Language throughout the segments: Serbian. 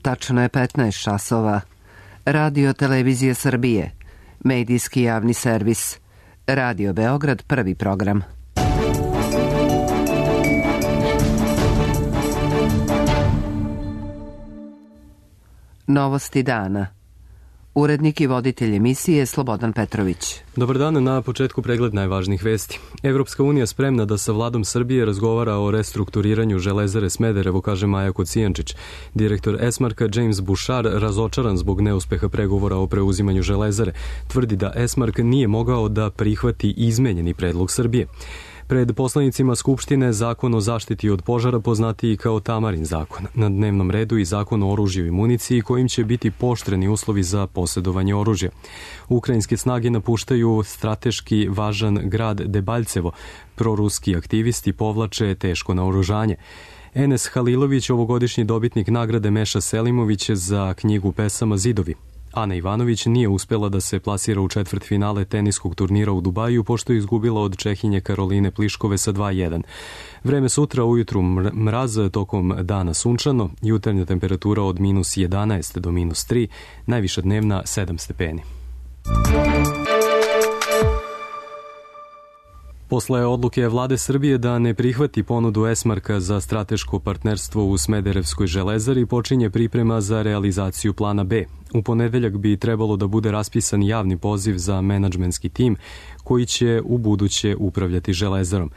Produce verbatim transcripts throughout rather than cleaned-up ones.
Tačno je petnaest časova. Radio Televizije Srbije. Medijski javni servis. Radio Beograd, prvi program. Novosti dana. Urednik i voditelj emisije Slobodan Petrović. Dobar dan, na početku pregled najvažnijih vesti. Evropska unija spremna da sa vladom Srbije razgovara o restrukturiranju Železare Smederevo, kaže Maja Kocijančić. Direktor Esmarka James Bouchard, razočaran zbog neuspeha pregovora o preuzimanju Železare, tvrdi da Esmark nije mogao da prihvati izmenjeni predlog Srbije. Pred poslanicima Skupštine zakon o zaštiti od požara, poznatiji kao Tamarin zakon. Na dnevnom redu i zakon o oružju i municiji kojim će biti pooštreni uslovi za posjedovanje oružja. Ukrajinske snage napuštaju strateški važan grad Debaljevo. Proruski aktivisti povlače teško naoružanje. Enes Halilović, ovogodišnji dobitnik nagrade Meša Selimović za knjigu pesama Zidovi. Ana Ivanović nije uspela da se plasira u četvrtfinale teniskog turnira u Dubaju, pošto je izgubila od Čehinje Karoline Pliškove sa dva jedan. Vreme sutra, ujutru mraz, tokom dana sunčano, jutarnja temperatura od minus jedanaest do minus tri, najviša dnevna sedam stepeni. Posle odluke vlade Srbije da ne prihvati ponudu Esmarka za strateško partnerstvo u Smederevskoj železari, počinje priprema za realizaciju plana B. U ponedeljak bi trebalo da bude raspisan javni poziv za menadžmentski tim koji će u buduće upravljati železarom.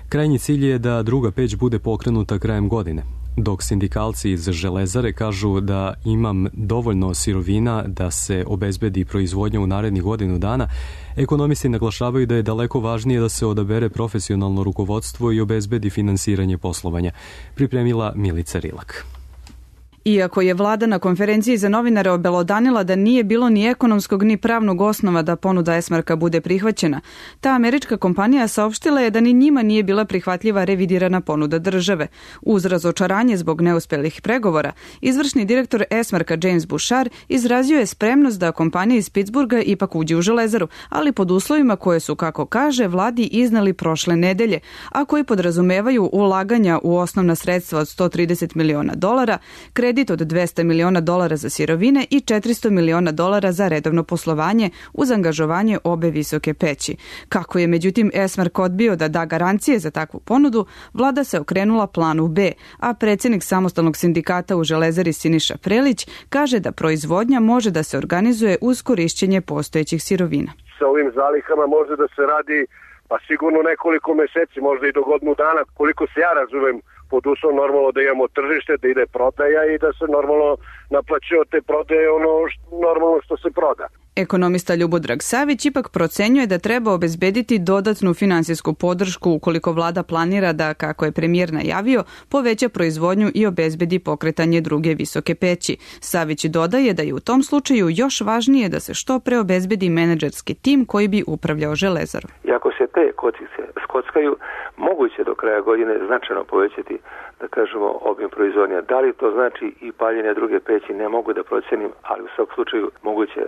Krajnji cilj je da druga peć bude pokrenuta krajem godine. Dok sindikalci iz železare kažu da imam dovoljno sirovina da se obezbedi proizvodnja u narednih godinu dana, ekonomisti naglašavaju da je daleko važnije da se odabere profesionalno rukovodstvo i obezbedi finansiranje poslovanja. Pripremila Milica Rilak. Iako je vlada na konferenciji za novinare obelodanila da nije bilo ni ekonomskog ni pravnog osnova da ponuda Esmarka bude prihvaćena, ta američka kompanija saopštila je da ni njima nije bila prihvatljiva revidirana ponuda države. Uz razočaranje zbog neuspelih pregovora, izvršni direktor Esmarka James Bouchard izrazio je spremnost da kompanija iz Pittsburgha ipak uđe u železaru, ali pod uslovima koje su, kako kaže, vladi iznali prošle nedelje, a koji podrazumevaju ulaganja u osnovna sredstva od sto trideset miliona dolara, kredit od dvesta miliona dolara za sirovine i četiristo miliona dolara za redovno poslovanje uz angažovanje obe visoke peći. Kako je međutim Esmark odbio da da garancije za takvu ponudu, vlada se okrenula planu B, a predsjednik samostalnog sindikata u železari Siniša Prelić kaže da proizvodnja može da se organizuje uz korišćenje postojećih sirovina. Sa ovim zalihama može da se radi pa sigurno nekoliko meseci, možda i do godinu dana, koliko se ja razumem, pod uslovom normalno da imamo tržište, da ide prodaja i da se normalno naplaćuje od te prodaje ono što, normalno što se proda. Ekonomista Ljubodrag Savić ipak procenjuje da treba obezbediti dodatnu finansijsku podršku ukoliko vlada planira da, kako je premijer najavio, poveća proizvodnju i obezbedi pokretanje druge visoke peći. Savić dodaje da je u tom slučaju još važnije da se što pre obezbedi menadžerski tim koji bi upravljao železarom. I ako se te kockice skockaju, moguće do kraja godine značajno povećati, da kažemo, obim proizvodnja. Da li to znači i paljenje druge peći, ne mogu da procenim, ali u svakom slučaju moguće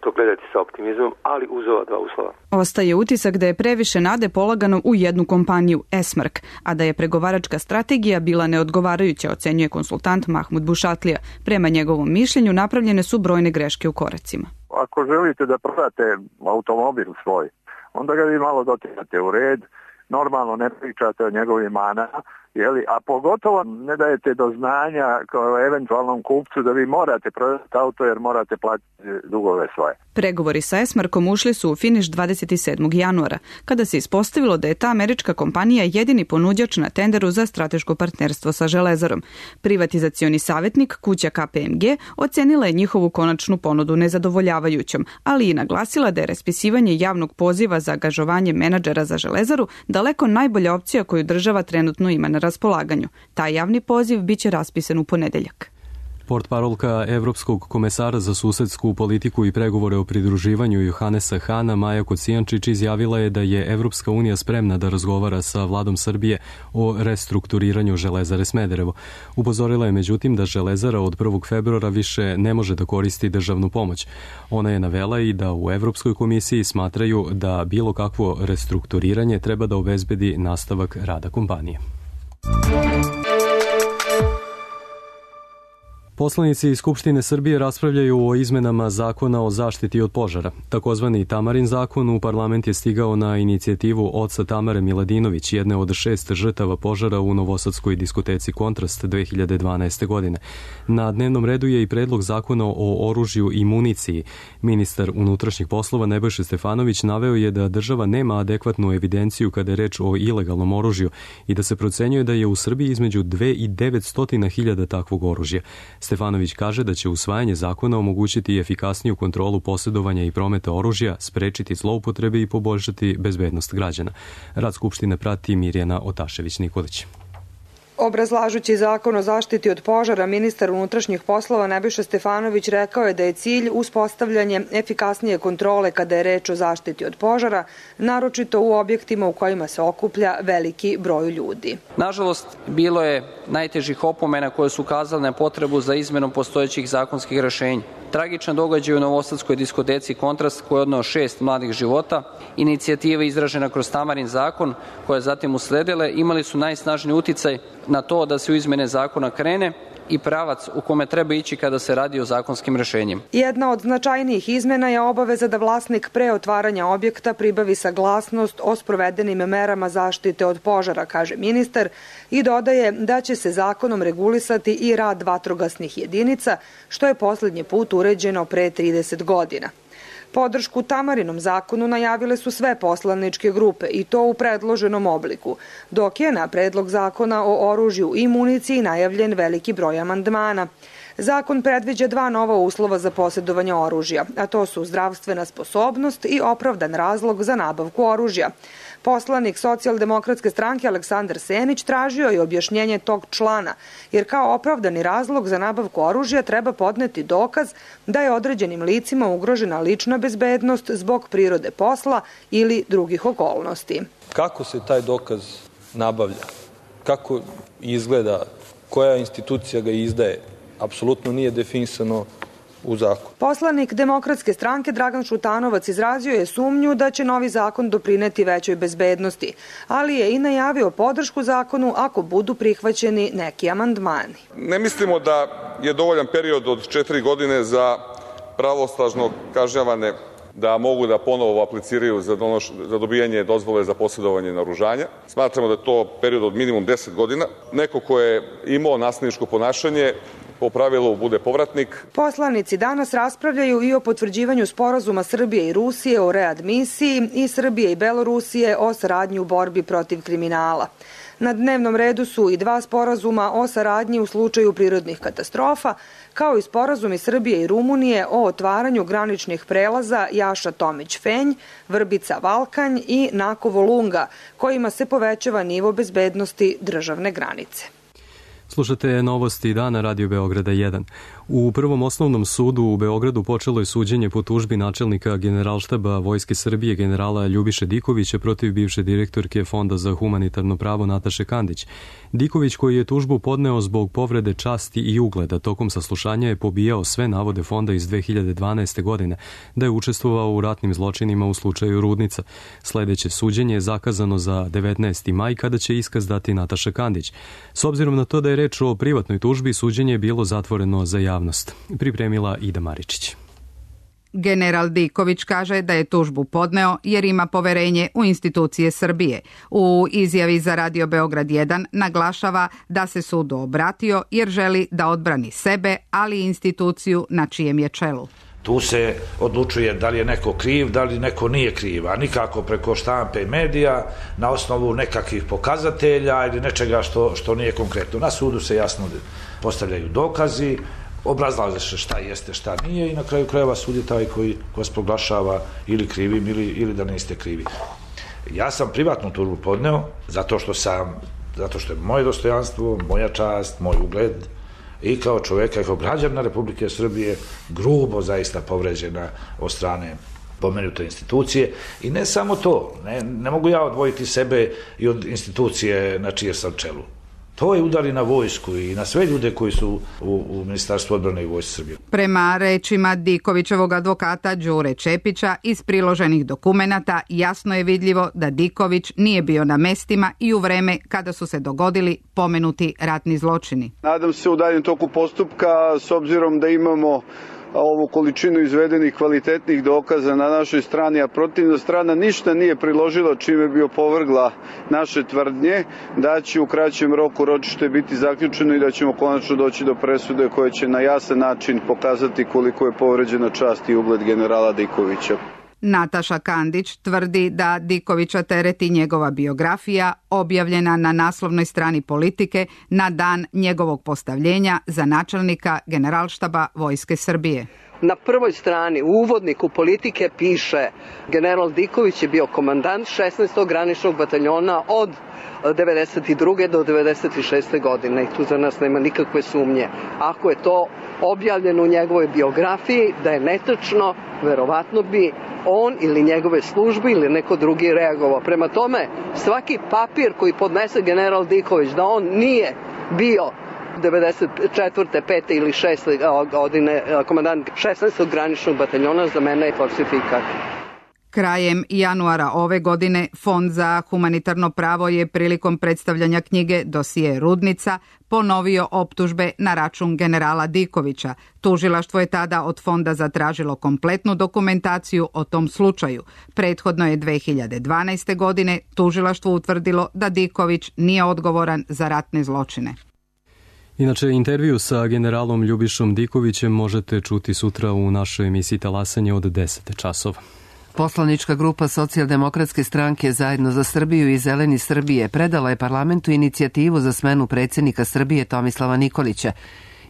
to gledati sa optimizmom, ali uz ova dva uslova. Ostaje utisak da je previše nade polagano u jednu kompaniju, Esmark, a da je pregovaračka strategija bila neodgovarajuća, ocenjuje konsultant Mahmud Bušatlija. Prema njegovom mišljenju napravljene su brojne greške u koracima. Ako želite da prodate automobil svoj, onda ga vi malo dotirate u red, normalno ne pričate o njegovim manama, jeli, a pogotovo ne dajete do znanja kao eventualnom kupcu da vi morate prodati auto jer morate platiti dugove svoje. Pregovori sa Esmarkom ušli su u finiš dvadeset sedmog januara, kada se ispostavilo da je ta američka kompanija jedini ponuđač na tenderu za strateško partnerstvo sa železarom. Privatizacioni savjetnik kuća K P M G ocenila je njihovu konačnu ponudu nezadovoljavajućom, ali i naglasila da je raspisivanje javnog poziva za angažovanje menadžera za železaru daleko najbolja opcija koju država trenutno ima na raspolaganju. Taj javni poziv biće raspisan u ponedeljak. Portparolka Evropskog komesara za susedsku politiku i pregovore o pridruživanju Johannesa Hana, Maja Kocijančić, izjavila je da je Evropska unija spremna da razgovara sa vladom Srbije o restrukturiranju železare Smederevo. Upozorila je međutim da železara od prvog februara više ne može da koristi državnu pomoć. Ona je navela i da u Evropskoj komisiji smatraju da bilo kakvo restrukturiranje treba da obezbedi nastavak rada kompanije. Poslanici iz Skupštine Srbije raspravljaju o izmenama zakona o zaštiti od požara. Takozvani Tamarin zakon u parlament je stigao na inicijativu oca Tamare Miladinović, jedne od šest žrtava požara u novosadskoj diskoteci Kontrast dve hiljade dvanaeste. godine. Na dnevnom redu je i predlog zakona o oružju i municiji. Ministar unutrašnjih poslova Nebojša Stefanović naveo je da država nema adekvatnu evidenciju kada je reč o ilegalnom oružju i da se procenjuje da je u Srbiji između dve i devetsto hiljada takvog oružja. Stefanović kaže da će usvajanje zakona omogućiti efikasniju kontrolu posjedovanja i prometa oružja, sprečiti zloupotrebe i poboljšati bezbednost građana. Rad Skupštine prati Mirjana Otašević-Nikolić. Obrazlažući zakon o zaštiti od požara, ministar unutrašnjih poslova Nebojša Stefanović rekao je da je cilj uspostavljanje efikasnije kontrole kada je reč o zaštiti od požara, naročito u objektima u kojima se okuplja veliki broj ljudi. Nažalost, bilo je najtežih opomena koje su ukazale na potrebu za izmenom postojećih zakonskih rešenja. Tragičan događaj u novosadskoj diskoteci Kontrast koji je odneo šest mladih života, inicijativa izražena kroz Tamarin zakon koja je zatim usledile, imali su najsnažniji uticaj na to da se u izmene zakona krene i pravac u kome treba ići kada se radi o zakonskim rešenjima. Jedna od značajnijih izmena je obaveza da vlasnik pre otvaranja objekta pribavi saglasnost o sprovedenim merama zaštite od požara, kaže ministar, i dodaje da će se zakonom regulisati i rad vatrogasnih jedinica, što je poslednji put uređeno pre trideset godina. Podršku Tamarinom zakonu najavile su sve poslaničke grupe i to u predloženom obliku, dok je na predlog zakona o oružju i municiji najavljen veliki broj amandmana. Zakon predviđa dva nova uslova za posjedovanje oružja, a to su zdravstvena sposobnost i opravdan razlog za nabavku oružja. Poslanik Socijaldemokratske stranke Aleksandar Senić tražio je objašnjenje tog člana, jer kao opravdani razlog za nabavku oružja treba podneti dokaz da je određenim licima ugrožena lična bezbednost zbog prirode posla ili drugih okolnosti. Kako se taj dokaz nabavlja? Kako izgleda? Koja institucija ga izdaje? Apsolutno nije definisano u zakonu. Poslanik Demokratske stranke Dragan Šutanovac izrazio je sumnju da će novi zakon doprineti većoj bezbednosti, ali je i najavio podršku zakonu ako budu prihvaćeni neki amandmani. Ne mislimo da je dovoljan period od četiri godine za pravosnažno kažnjavane da mogu da ponovo apliciraju za, donoš, za dobijanje dozvole za posjedovanje naoružanja. Smatramo da je to period od minimum deset godina. Neko ko je imao nasilničko ponašanje po pravilu bude povratnik. Poslanici danas raspravljaju i o potvrđivanju sporazuma Srbije i Rusije o readmisiji i Srbije i Belorusije o saradnji u borbi protiv kriminala. Na dnevnom redu su i dva sporazuma o saradnji u slučaju prirodnih katastrofa, kao i sporazumi Srbije i Rumunije o otvaranju graničnih prelaza Jaša Tomić-Fenj, Vrbica-Valkanj i Nakovo-Lunga, kojima se povećava nivo bezbednosti državne granice. Slušate novosti dana Radio Beograda jedan. U Prvom osnovnom sudu u Beogradu počelo je suđenje po tužbi načelnika Generalštaba Vojske Srbije generala Ljubiše Dikovića protiv bivše direktorke Fonda za humanitarno pravo Nataše Kandić. Diković, koji je tužbu podneo zbog povrede časti i ugleda, tokom saslušanja je pobijao sve navode Fonda iz dve hiljade dvanaeste. godine da je učestvovao u ratnim zločinima u slučaju Rudnica. Sledeće suđenje je zakazano za devetnaesti maj kada će iskaz dati Nataša Kandić. S obzirom na to da je reč o privatnoj tužbi, suđenje je bilo zatvoreno za javnost. Pripremila Ida Maričić. General Diković kaže da je tužbu podneo jer ima poverenje u institucije Srbije. U izjavi za Radio Beograd jedan naglašava da se sudu obratio jer želi da odbrani sebe, ali i instituciju na čijem je čelu. Tu se odlučuje da li je neko kriv, da li neko nije kriv, a nikako preko štampe i medija na osnovu nekakvih pokazatelja ili nečega što, što nije konkretno. Na sudu se jasno postavljaju dokazi, obrazlaže se šta jeste, šta nije i na kraju krajeva sud je taj koji vas proglašava ili krivim ili, ili da niste krivi. Ja sam privatnu tužbu podneo zato što sam, zato što je moje dostojanstvo, moja čast, moj ugled i kao čoveka i kao građana Republike Srbije grubo zaista povređena od strane pomenute institucije. I ne samo to, ne, ne mogu ja odvojiti sebe i od institucije na čije sam čelu. To je udari na vojsku i na sve ljude koji su u, u Ministarstvu odbrane i Vojsci Srbije. Prema rečima Dikovićevog advokata Đure Čepića, iz priloženih dokumenata jasno je vidljivo da Diković nije bio na mestima i u vreme kada su se dogodili pomenuti ratni zločini. Nadam se u daljem toku postupka, s obzirom da imamo ovu količinu izvedenih kvalitetnih dokaza na našoj strani, a protivna strana ništa nije priložila čime bi opovrgla naše tvrdnje, da će u kraćem roku ročište biti zaključeno i da ćemo konačno doći do presude koja će na jasan način pokazati koliko je povređena čast i ugled generala Dikovića. Nataša Kandić tvrdi da Dikovića tereti njegova biografija objavljena na naslovnoj strani Politike na dan njegovog postavljenja za načelnika Generalštaba Vojske Srbije. Na prvoj strani u uvodniku Politike piše: general Diković je bio komandant šesnaestog graničnog bataljona od devedeset druge do devedeset šeste godine i tu za nas nema nikakve sumnje. Ako je to objavljeno u njegovoj biografiji da je netačno, verovatno bi on ili njegove službe ili neko drugi reagovao. Prema tome, svaki papir koji podnese general Diković da on nije bio devedeset četvrte, pete ili šeste godine komandant šesnaestog graničnog bataljona, za mene je falsifikat. Krajem januara ove godine Fond za humanitarno pravo je prilikom predstavljanja knjige Dosije Rudnica ponovio optužbe na račun generala Dikovića. Tužilaštvo je tada od fonda zatražilo kompletnu dokumentaciju o tom slučaju. Prethodno je dve hiljade dvanaeste. godine tužilaštvo utvrdilo da Diković nije odgovoran za ratne zločine. Inače, intervju sa generalom Ljubišom Dikovićem možete čuti sutra u našoj emisiji Talasanje od deset časova. Poslanička grupa Socijaldemokratske stranke Zajedno za Srbiju i Zeleni Srbije predala je parlamentu inicijativu za smenu predsjednika Srbije Tomislava Nikolića,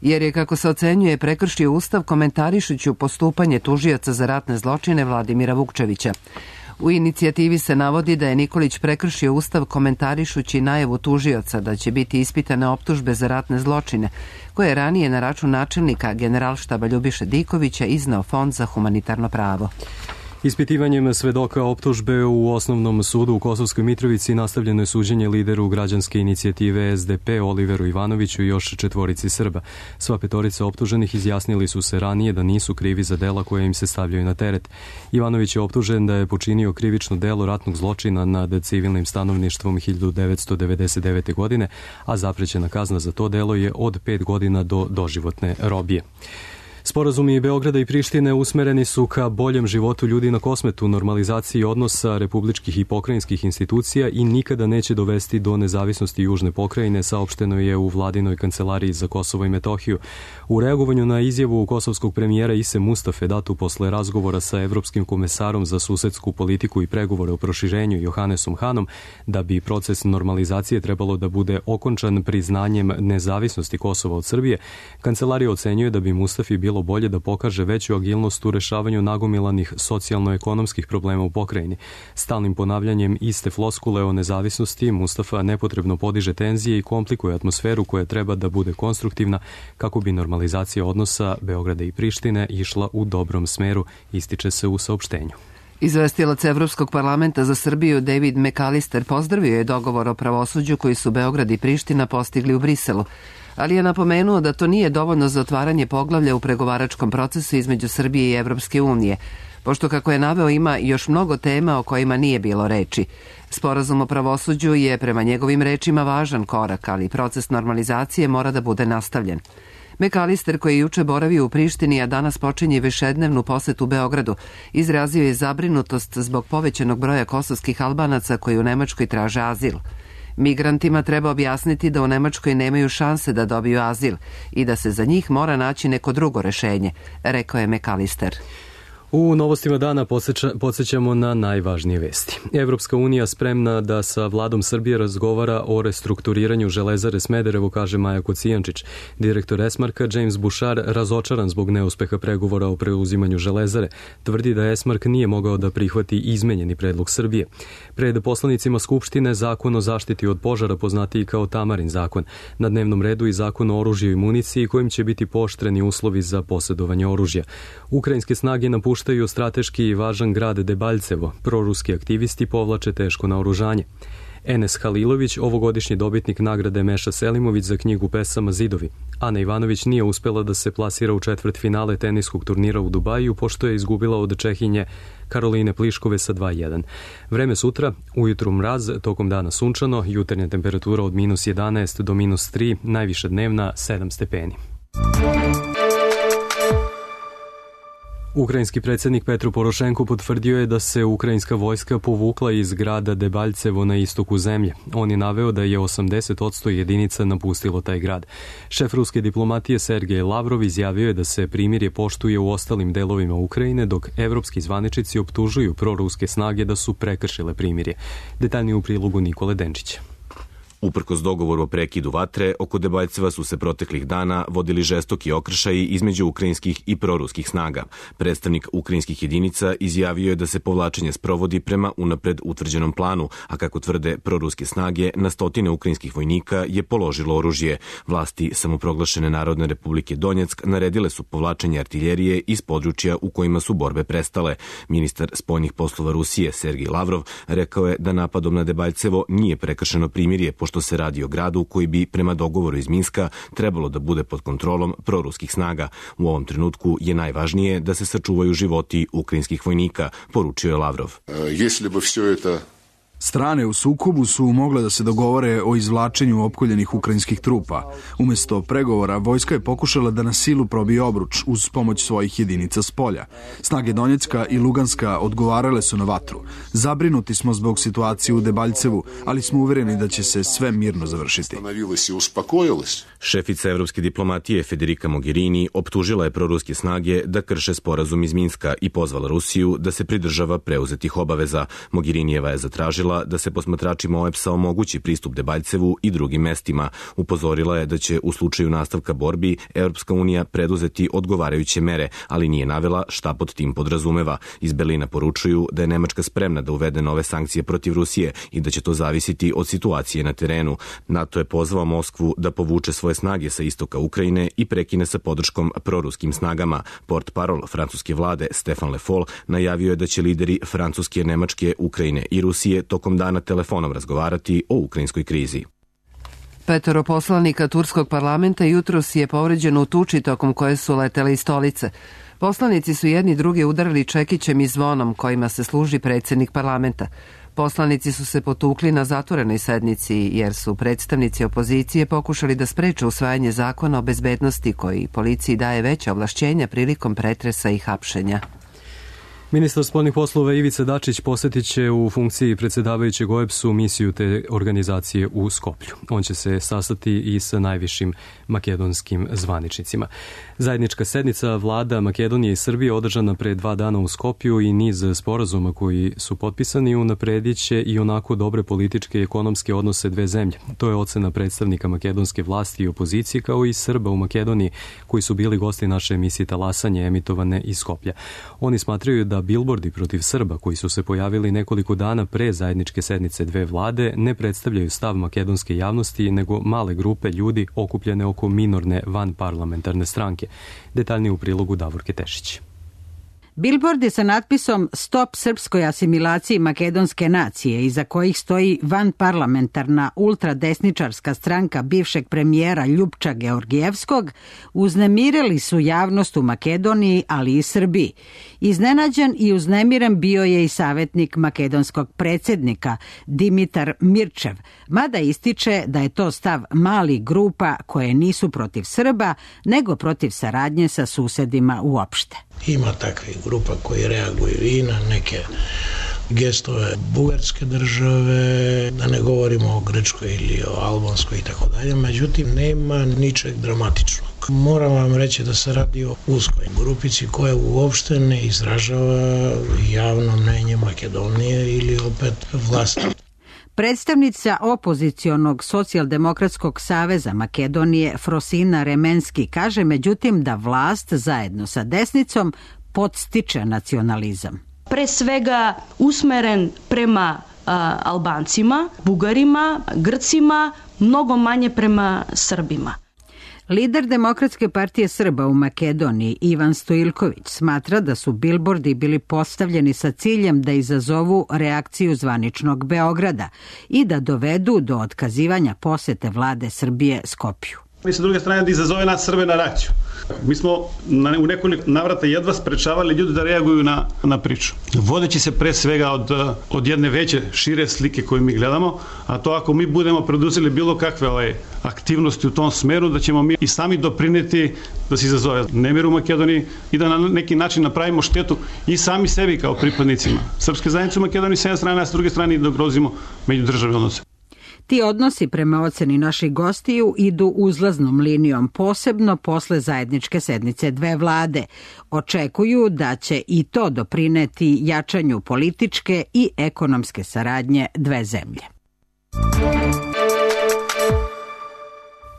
jer je, kako se ocenjuje, prekršio Ustav komentarišući postupanje tužioca za ratne zločine Vladimira Vukčevića. U inicijativi se navodi da je Nikolić prekršio Ustav komentarišući najavu tužioca da će biti ispitane optužbe za ratne zločine, koje je ranije na račun načelnika Generalštaba Ljubiše Dikovića iznao Fond za humanitarno pravo. Ispitivanjem svedoka optužbe u Osnovnom sudu u Kosovskoj Mitrovici nastavljeno je suđenje lideru građanske inicijative S D P Oliveru Ivanoviću i još četvorici Srba. Sva petorica optuženih izjasnili su se ranije da nisu krivi za dela koje im se stavljaju na teret. Ivanović je optužen da je počinio krivično delo ratnog zločina nad civilnim stanovništvom hiljadu devetsto devedeset devete. godine, a zaprećena kazna za to delo je od pet godina do doživotne robije. Sporazumi Beograda i Prištine usmereni su ka boljem životu ljudi na Kosmetu, normalizaciji odnosa republičkih i pokrajinskih institucija i nikada neće dovesti do nezavisnosti južne pokrajine, saopšteno je u vladinoj kancelariji za Kosovo i Metohiju. U reagovanju na izjavu kosovskog premijera Ise Mustafe datu posle razgovora sa evropskim komesarom za susedsku politiku i pregovore o proširenju Johanesom Hanom, da bi proces normalizacije trebalo da bude okončan priznanjem nezavisnosti Kosova od Srbije, kancelarija ocenjuje da bi Mustafi bilo bolje da pokaže veću agilnost u rešavanju nagomilanih socijalno-ekonomskih problema u pokrajini. Stalnim ponavljanjem iste floskule o nezavisnosti Mustafa nepotrebno podiže tenzije i komplikuje atmosferu koja treba da bude konstruktivna kako bi normalizacija odnosa Beograda i Prištine išla u dobrom smeru, ističe se u saopštenju. Izvestilac Evropskog parlamenta za Srbiju David McAllister pozdravio je dogovor o pravosuđu koji su Beograd i Priština postigli u Briselu, ali je napomenuo da to nije dovoljno za otvaranje poglavlja u pregovaračkom procesu između Srbije i Evropske unije, pošto, kako je naveo, ima još mnogo tema o kojima nije bilo reči. Sporazum o pravosuđu je prema njegovim rečima važan korak, ali proces normalizacije mora da bude nastavljen. McAllister, koji je juče boravio u Prištini, a danas počinje višednevnu posetu Beogradu, izrazio je zabrinutost zbog povećanog broja kosovskih Albanaca koji u Nemačkoj traže azil. Migrantima treba objasniti da u Nemačkoj nemaju šanse da dobiju azil i da se za njih mora naći neko drugo rešenje, rekao je McAllister. U novostima dana podsjećamo na najvažnije vesti. Evropska unija spremna da sa vladom Srbije razgovara o restrukturiranju Železare Smederevo, kaže Maja Kocijančić. Direktor Esmarka James Bouchard, razočaran zbog neuspeha pregovora o preuzimanju Železare, tvrdi da Esmark nije mogao da prihvati izmenjeni predlog Srbije. Pred poslanicima Skupštine zakon o zaštiti od požara, poznatiji kao Tamarin zakon. Na dnevnom redu i zakon o oružju i municiji, kojim će biti pooštreni uslovi za posjedovanje oružja. Ukrajinske snage napuštaju strateški i važan grad Debaljevo. Proruski aktivisti povlače teško naoružanje. Enes Halilović, ovogodišnji dobitnik nagrade Meša Selimović za knjigu pesama Zidovi. Ana Ivanović nije uspela da se plasira u četvrt finale teniskog turnira u Dubaju, pošto je izgubila od Čehinje Karoline Pliškove sa dva jedan. Vreme sutra, ujutru mraz, tokom dana sunčano, jutarnja temperatura od minus jedanaest do minus tri, najviša dnevna sedam stepeni. Ukrajinski predsjednik Petro Porošenko potvrdio je da se ukrajinska vojska povukla iz grada Debaljevo na istoku zemlje. On je naveo da je osamdeset odsto jedinica napustilo taj grad. Šef ruske diplomatije Sergej Lavrov izjavio je da se primirje poštuje u ostalim delovima Ukrajine, dok evropski zvaničici optužuju proruske snage da su prekršile primirje. Detaljnije u prilogu Nikole Denčića. Uprkos dogovoru o prekidu vatre, oko Debaljceva su se proteklih dana vodili žestoki okršaji između ukrajinskih i proruskih snaga. Predstavnik ukrajinskih jedinica izjavio je da se povlačenje sprovodi prema unapred utvrđenom planu, a kako tvrde proruske snage, na stotine ukrajinskih vojnika je položilo oružje. Vlasti samoproglašene Narodne republike Donjeck naredile su povlačenje artiljerije iz područja u kojima su borbe prestale. Ministar spoljnih poslova Rusije Sergej Lavrov rekao je da napadom na Debaljcevo nije prekršeno primirje, što se radi o gradu koji bi prema dogovoru iz Minska trebalo da bude pod kontrolom proruskih snaga. U ovom trenutku je najvažnije da se sačuvaju životi ukrajinskih vojnika, poručio je Lavrov. Если бы все это Strane u sukobu su mogle da se dogovore o izvlačenju opkoljenih ukrajinskih trupa. Umesto pregovora, vojska je pokušala da na silu probije obruč uz pomoć svojih jedinica s polja. Snage Donjecka i Luganska odgovarale su na vatru. Zabrinuti smo zbog situacije u Debaljcevu, ali smo uvereni da će se sve mirno završiti. Šefica evropske diplomatije Federica Mogherini optužila je proruske snage da krše sporazum iz Minska i pozvala Rusiju da se pridržava preuzetih obaveza. Mogherinijeva je zatražila da se posmatračima O E P S-a omogući pristup Debaljcevu i drugim mestima. Upozorila je da će u slučaju nastavka borbi Evropska unija preduzeti odgovarajuće mere, ali nije navela šta pod tim podrazumeva. Iz Berlina poručuju da je Nemačka spremna da uvede nove sankcije protiv Rusije i da će to zavisiti od situacije na terenu. NATO je pozvao Moskvu da povuče svoje snage sa istoka Ukrajine i prekine sa podrškom proruskim snagama. Portparol francuske vlade Stefan Le Foll najavio je da će lideri Francuske, Nemačke, Ukrajine i Rusije tokom dana telefonom razgovarati o ukrajinskoj krizi. Petoro poslanika turskog parlamenta jutros je povređeno u tuči tokom koje su letele iz stolice. Poslanici su jedni druge udarili čekićem i zvonom kojima se služi predsjednik parlamenta. Poslanici su se potukli na zatvorenoj sednici jer su predstavnici opozicije pokušali da spreče usvajanje zakona o bezbednosti koji policiji daje veća ovlašćenja prilikom pretresa i hapšenja. Ministar spoljnih poslova Ivica Dačić posjetit će u funkciji predsjedavajućeg O E P S-u misiju te organizacije u Skoplju. On će se sastati i sa najvišim makedonskim zvaničnicima. Zajednička sednica vlada Makedonije i Srbije održana pre dva dana u Skoplju i niz sporazuma koji su potpisani unapredit će i onako dobre političke i ekonomske odnose dve zemlje. To je ocena predstavnika makedonske vlasti i opozicije kao i Srba u Makedoniji koji su bili gosti naše emisije Talasanje emitovane iz Skoplja. Oni smatraju da bilbordi protiv Srba koji su se pojavili nekoliko dana pre zajedničke sednice dve vlade ne predstavljaju stav makedonske javnosti nego male grupe ljudi okupljene oko minorne vanparlamentarne stranke. Detaljnije u prilogu Davorke Tešić. Bilbordi sa natpisom Stop srpskoj asimilaciji makedonske nacije, iza kojih stoji vanparlamentarna ultradesničarska stranka bivšeg premijera Ljupča Georgijevskog, uznemirili su javnost u Makedoniji, ali i Srbiji. Iznenađen i uznemiren bio je i savjetnik makedonskog predsjednika Dimitar Mirčev, mada ističe da je to stav malih grupa koje nisu protiv Srba, nego protiv saradnje sa susedima uopšte. Ima takvih grupa koji reaguju i na neke gestove bugarske države, da ne govorimo o Grčkoj ili o Albanskoj i tako dalje, međutim nema ničeg dramatičnog. Moram vam reći da se radi o uskoj grupici koja uopšte ne izražava javno mnenje Makedonije ili opet vlasti. Predstavnica opozicionog socijaldemokratskog saveza Makedonije Frosina Remenski kaže međutim da vlast zajedno sa desnicom podstiče nacionalizam. Pre svega usmeren prema a, Albancima, Bugarima, Grcima, mnogo manje prema Srbima. Lider Demokratske partije Srba u Makedoniji, Ivan Stojiljković, smatra da su bilbordi bili postavljeni sa ciljem da izazovu reakciju zvaničnog Beograda i da dovedu do otkazivanja posete vlade Srbije Skopju. I sa druge strane da izazove nas Srbe na reakciju. Mi smo na, u nekoliko navrata jedva sprečavali ljudi da reaguju na, na priču. Vodeći se pre svega od, od jedne veće, šire slike koju mi gledamo, a to ako mi budemo preduzeli bilo kakve ove aktivnosti u tom smeru, da ćemo mi i sami doprineti da se izazove nemir u Makedoniji i da na neki način napravimo štetu i sami sebi kao pripadnicima srpske zajednice u Makedoniji s jedne strane, a s druge strane i da ugrozimo međudržavne odnose. Ti odnosi prema oceni naših gostiju idu uzlaznom linijom, posebno posle zajedničke sednice dve vlade. Očekuju da će i to doprineti jačanju političke i ekonomske saradnje dve zemlje.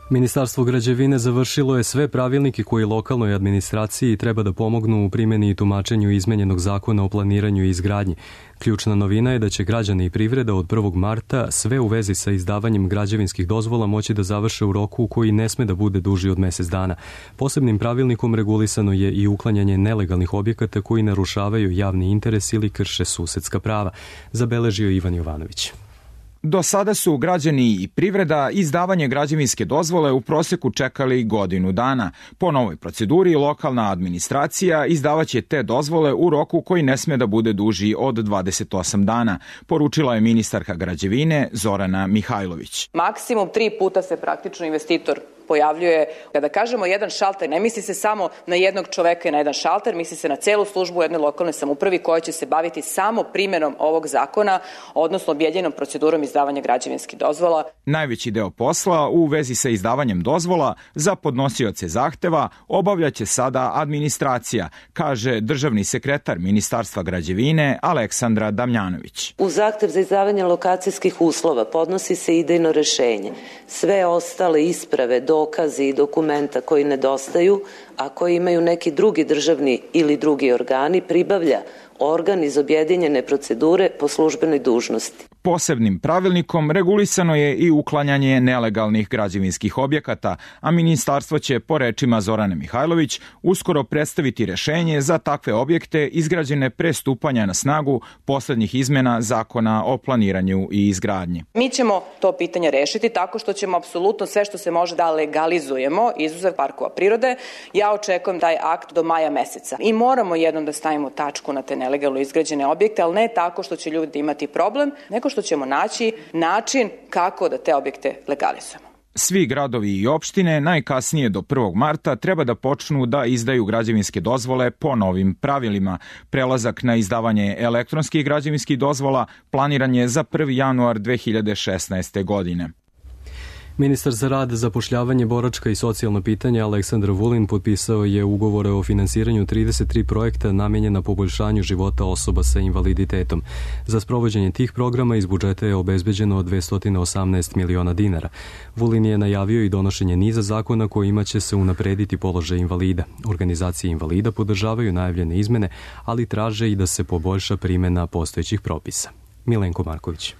Ministarstvo građevine završilo je sve pravilnike koji lokalnoj administraciji treba da pomognu u primjeni i tumačenju izmenjenog zakona o planiranju i izgradnji. Ključna novina je da će građani i privreda od prvog marta sve u vezi sa izdavanjem građevinskih dozvola moći da završe u roku koji ne sme da bude duži od mesec dana. Posebnim pravilnikom regulisano je i uklanjanje nelegalnih objekata koji narušavaju javni interes ili krše susedska prava, zabeležio Ivan Jovanović. Do sada su građani i privreda izdavanje građevinske dozvole u proseku čekali godinu dana. Po novoj proceduri lokalna administracija izdavaće te dozvole u roku koji ne sme da bude duži od dvadeset osam dana, poručila je ministarka građevine Zorana Mihajlović. Maksimum tri puta se praktično investitor pojavljuje. Kada kažemo jedan šalter, ne misli se samo na jednog čoveka i na jedan šalter, misli se na celu službu jedne lokalne samoupravi koja će se baviti samo primjenom ovog zakona, odnosno objedinjenom procedurom izdavanja građevinskih dozvola. Najveći deo posla u vezi sa izdavanjem dozvola za podnosioce zahteva obavljaće sada administracija, kaže državni sekretar Ministarstva građevine Aleksandra Damjanović. U zahtev za izdavanje lokacijskih uslova podnosi se idejno rešenje. Sve ostale isprave, dokazi i dokumenta koji nedostaju, a koji imaju neki drugi državni ili drugi organi, pribavlja organ iz objedinjene procedure po službenoj dužnosti. Posebnim pravilnikom regulisano je i uklanjanje nelegalnih građevinskih objekata, a ministarstvo će, po rečima Zorane Mihajlović, uskoro predstaviti rešenje za takve objekte izgrađene pre stupanja na snagu poslednjih izmena zakona o planiranju i izgradnji. Mi ćemo to pitanje rešiti tako što ćemo apsolutno sve što se može da legalizujemo, izuzev parkova prirode. Ja očekujem taj akt do maja meseca. I moramo jednom da stavimo tačku na te nelegalno izgrađene objekte, ali ne tako što će ljudi imati problem, nego što ćemo naći način kako da te objekte legalizujemo. Svi gradovi i opštine najkasnije do prvog marta treba da počnu da izdaju građevinske dozvole po novim pravilima. Prelazak na izdavanje elektronskih građevinskih dozvola planiran je za prvi januar dve hiljade šesnaeste. godine. Ministar za rad, zapošljavanje, boračka i socijalna pitanja Aleksandar Vulin potpisao je ugovore o finansiranju trideset tri projekta namenjena poboljšanju života osoba sa invaliditetom. Za sprovođenje tih programa iz budžeta je obezbeđeno dvesta osamnaest miliona dinara. Vulin je najavio i donošenje niza zakona kojima će se unaprediti položaj invalida. Organizacije invalida podržavaju najavljene izmene, ali traže i da se poboljša primjena postojećih propisa. Milenko Marković.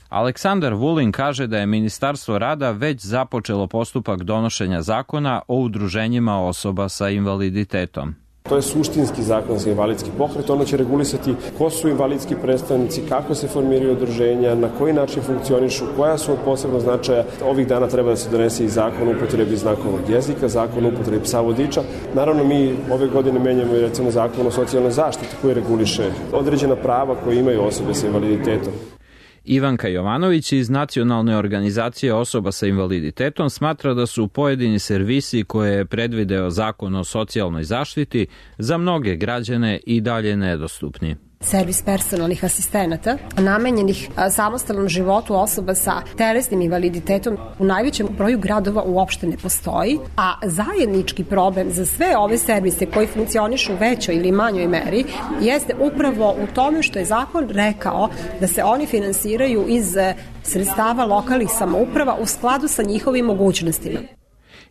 Aleksandar Vulin kaže da je Ministarstvo rada već započelo postupak donošenja zakona o udruženjima osoba sa invaliditetom. To je suštinski zakon za invalidski pokret, ono će regulisati ko su invalidski predstavnici, kako se formiraju udruženja, na koji način funkcionišu, koja su od posebnog značaja. Ovih dana treba da se donese i zakon o upotrebi znakovnog jezika, zakon o upotrebi psa vodiča. Naravno, mi ove godine menjamo i recimo zakon o socijalnoj zaštiti koji reguliše određena prava koje imaju osobe sa invaliditetom. Ivanka Jovanović iz Nacionalne organizacije osoba sa invaliditetom smatra da su pojedini servisi koje je predvideo zakon o socijalnoj zaštiti za mnoge građane i dalje nedostupni. Servis personalnih asistenata namenjenih samostalnom životu osoba sa telesnim invaliditetom u najvećem broju gradova uopšte ne postoji, a zajednički problem za sve ove servise koji funkcionišu u većoj ili manjoj meri jeste upravo u tome što je zakon rekao da se oni finansiraju iz sredstava lokalnih samouprava u skladu sa njihovim mogućnostima.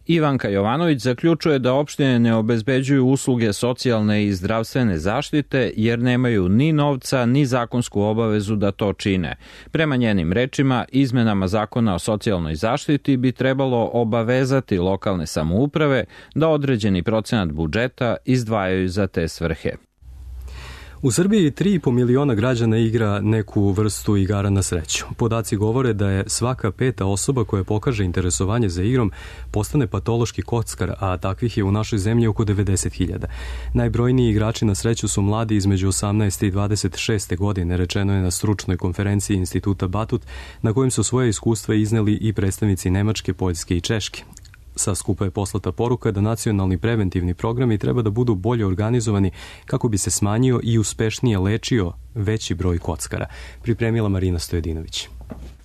Ivanka Jovanović zaključuje da opštine ne obezbeđuju usluge socijalne i zdravstvene zaštite jer nemaju ni novca ni zakonsku obavezu da to čine. Prema njenim rečima, izmenama zakona o socijalnoj zaštiti bi trebalo obavezati lokalne samouprave da određeni procenat budžeta izdvajaju za te svrhe. U Srbiji tri i po miliona građana igra neku vrstu igara na sreću. Podaci govore da je svaka peta osoba koja pokaže interesovanje za igrom postane patološki kockar, a takvih je u našoj zemlji oko devedeset hiljada. Najbrojniji igrači na sreću su mladi između osamnaeste i dvadeset šeste godine, rečeno je na stručnoj konferenciji Instituta Batut, na kojem su svoje iskustva izneli i predstavnici Nemačke, Poljske i Češke. Sa skupa je poslata poruka da nacionalni preventivni programi treba da budu bolje organizovani kako bi se smanjio i uspešnije lečio veći broj kockara. Pripremila Marina Stojedinović.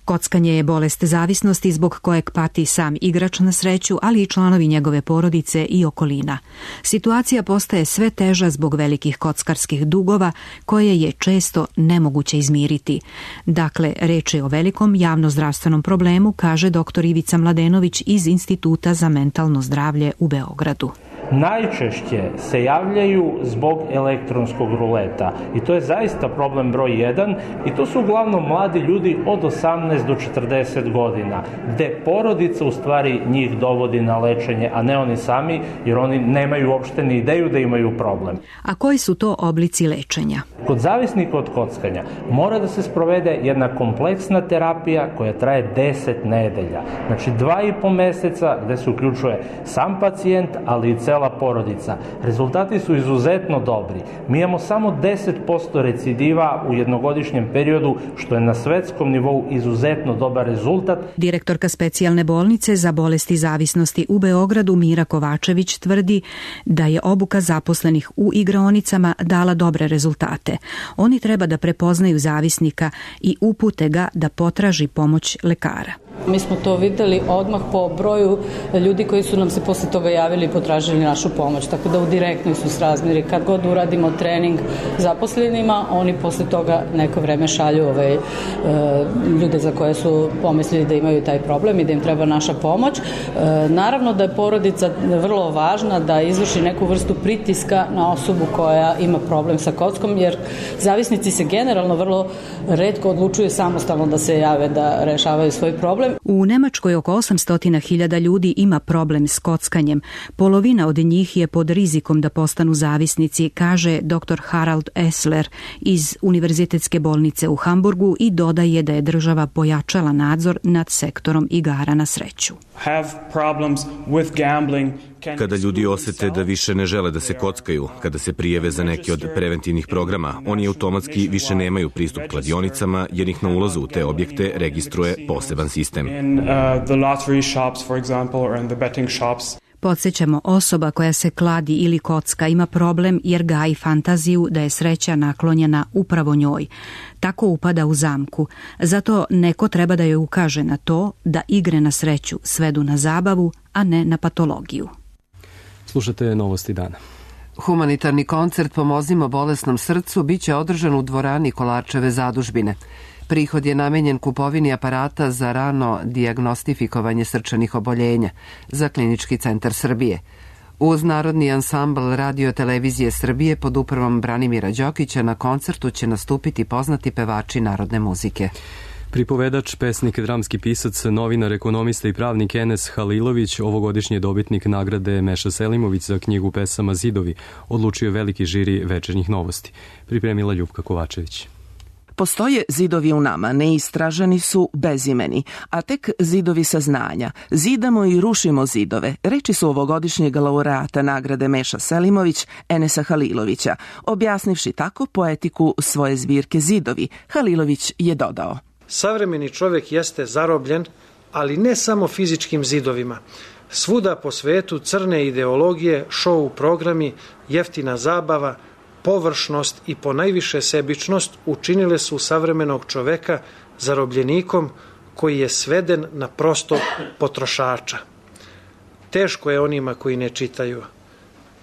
Kockanje je bolest zavisnosti zbog kojeg pati sam igrač na sreću, ali i članovi njegove porodice i okolina. Situacija postaje sve teža zbog velikih kockarskih dugova koje je često nemoguće izmiriti. Dakle, reč je o velikom javnozdravstvenom problemu, kaže doktor Ivica Mladenović iz Instituta za mentalno zdravlje u Beogradu. Najčešće se javljaju zbog elektronskog ruleta i to je zaista problem broj jedan i to su uglavnom mladi ljudi od osamnaest do četrdeset godina, gde porodica u stvari njih dovodi na lečenje, a ne oni sami, jer oni nemaju uopšte ni ideju da imaju problem. A koji su to oblici lečenja? Kod zavisnika od kockanja mora da se sprovede jedna kompleksna terapija koja traje deset nedelja. Znači dva i po meseca gde se uključuje sam pacijent, ali i cela porodica. Rezultati su izuzetno dobri. Mi imamo samo deset posto recidiva u jednogodišnjem periodu, što je na svetskom nivou izuzetno dobar rezultat. Direktorka specijalne bolnice za bolesti zavisnosti u Beogradu Mira Kovačević tvrdi da je obuka zaposlenih u igraonicama dala dobre rezultate. Oni treba da prepoznaju zavisnika i upute ga da potraži pomoć lekara. Mi smo to videli odmah po broju ljudi koji su nam se posle toga javili i potražili našu pomoć, tako da u direktnoj su srazmeri. Kad god uradimo trening zaposlenima, oni posle toga neko vreme šalju ove, e, ljude za koje su pomislili da imaju taj problem i da im treba naša pomoć. E, naravno da je porodica vrlo važna da izvrši neku vrstu pritiska na osobu koja ima problem sa kockom, jer zavisnici se generalno vrlo retko odlučuju samostalno da se jave da rešavaju svoj problem. U Nemačkoj oko osamsto hiljada ljudi ima problem s kockanjem. Polovina od njih je pod rizikom da postanu zavisnici, kaže dr. Harald Essler iz Univerzitetske bolnice u Hamburgu i dodaje da je država pojačala nadzor nad sektorom igara na sreću. Kada ljudi osete da više ne žele da se kockaju, kada se prijave za neki od preventivnih programa, oni automatski više nemaju pristup kladionicama jer ih na ulazu u te objekte registruje poseban sistem. Podsjećamo, osoba koja se kladi ili kocka ima problem jer gaji fantaziju da je sreća naklonjena upravo njoj. Tako upada u zamku. Zato neko treba da joj ukaže na to da igre na sreću svedu na zabavu, a ne na patologiju. Slušate Novosti dana. Humanitarni koncert Pomozimo bolesnom srcu biće održan u dvorani Kolarčeve zadužbine. Prihod je namenjen kupovini aparata za rano dijagnostifikovanje srčanih oboljenja za Klinički centar Srbije. Uz Narodni ansambl Radio televizije Srbije pod upravom Branimira Đokića na koncertu će nastupiti poznati pevači narodne muzike. Pripovedač, pesnik, dramski pisac, novinar, ekonomista i pravnik Enes Halilović, ovogodišnji dobitnik nagrade Meša Selimović za knjigu pesama Zidovi, odlučio veliki žiri Večernjih novosti. Pripremila Ljupka Kovačević. Postoje zidovi u nama, neistraženi su bezimeni, a tek zidovi saznanja. Zidamo i rušimo zidove. Reči su ovogodišnjeg laureata nagrade Meša Selimović, Enesa Halilovića. Objasnivši tako poetiku svoje zbirke Zidovi, Halilović je dodao: Savremeni čovjek jeste zarobljen, ali ne samo fizičkim zidovima. Svuda po svetu crne ideologije, šou programi, jeftina zabava, površnost i ponajviše sebičnost učinile su savremenog čoveka zarobljenikom koji je sveden na prostog potrošača. Teško je onima koji ne čitaju,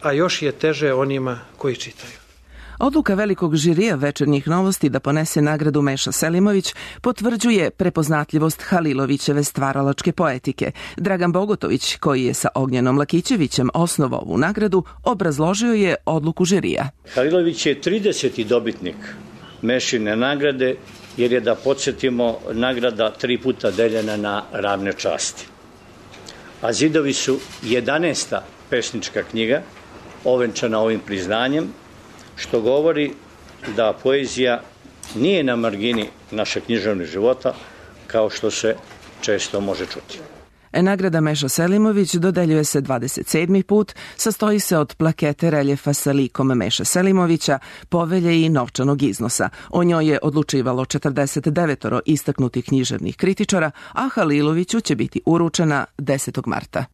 a još je teže onima koji čitaju. Odluka velikog žirija Večernjih novosti da ponese nagradu Meša Selimović potvrđuje prepoznatljivost Halilovićeve stvaralačke poetike. Dragan Bogotović, koji je sa Ognjenom Lakićevićem osnovao ovu nagradu, obrazložio je odluku žirija. Halilović je trideseti dobitnik Mešine nagrade, jer je, da podsjetimo, nagrada tri puta deljena na ravne časti. A Zidovi su jedanaesta pesnička knjiga ovenčana ovim priznanjem, što govori da poezija nije na margini našeg književnog života, kao što se često može čuti. Nagrada Meša Selimović dodeljuje se dvadeset sedmi put, sastoji se od plakete reljefa sa likom Meša Selimovića, povelje i novčanog iznosa. O njoj je odlučivalo četrdeset devet istaknutih književnih kritičara, a Haliloviću će biti uručena desetog marta.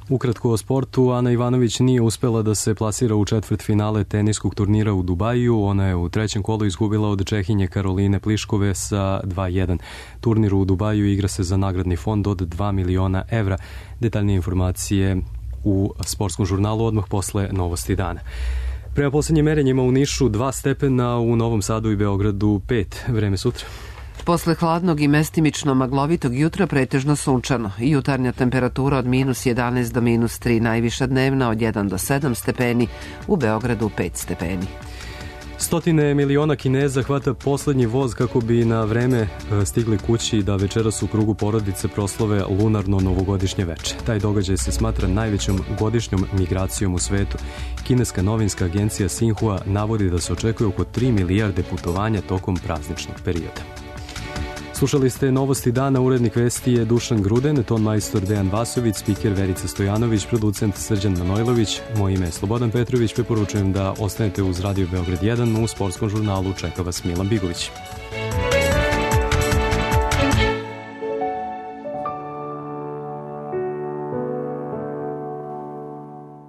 Ukratko o sportu, Ana Ivanović nije uspela da se plasira u četvrt finale teniskog turnira u Dubaju. Ona je u trećem kolu izgubila od Čehinje Karoline Pliškove sa dva jedan. Turnir u Dubaju igra se za nagradni fond od dva miliona evra. Detaljnije informacije u sportskom žurnalu odmah posle novosti dana. Prema poslednjim merenjima u Nišu dva stepena, u Novom Sadu i Beogradu pet. Vreme sutra. Posle hladnog i mestimično maglovitog jutra pretežno sunčano. Jutarnja temperatura od minus jedanaest do minus tri, najviša dnevna od jedan do sedam stepeni, u Beogradu pet stepeni. Stotine miliona Kineza hvata poslednji voz kako bi na vreme stigli kući da večeras u krugu porodice proslove lunarno novogodišnje veče. Taj događaj se smatra najvećom godišnjom migracijom u svetu. Kineska novinska agencija Sinhua navodi da se očekuje oko tri milijarde putovanja tokom prazničnog perioda. Slušali ste novosti dana, urednik vesti je Dušan Gruden, ton majstor Dejan Vasović, spiker Verica Stojanović, producent Srđan Manojlović, moje ime je Slobodan Petrović, preporučujem da ostanete uz Radio Beograd jedan, u sportskom žurnalu čeka vas Milan Bigović.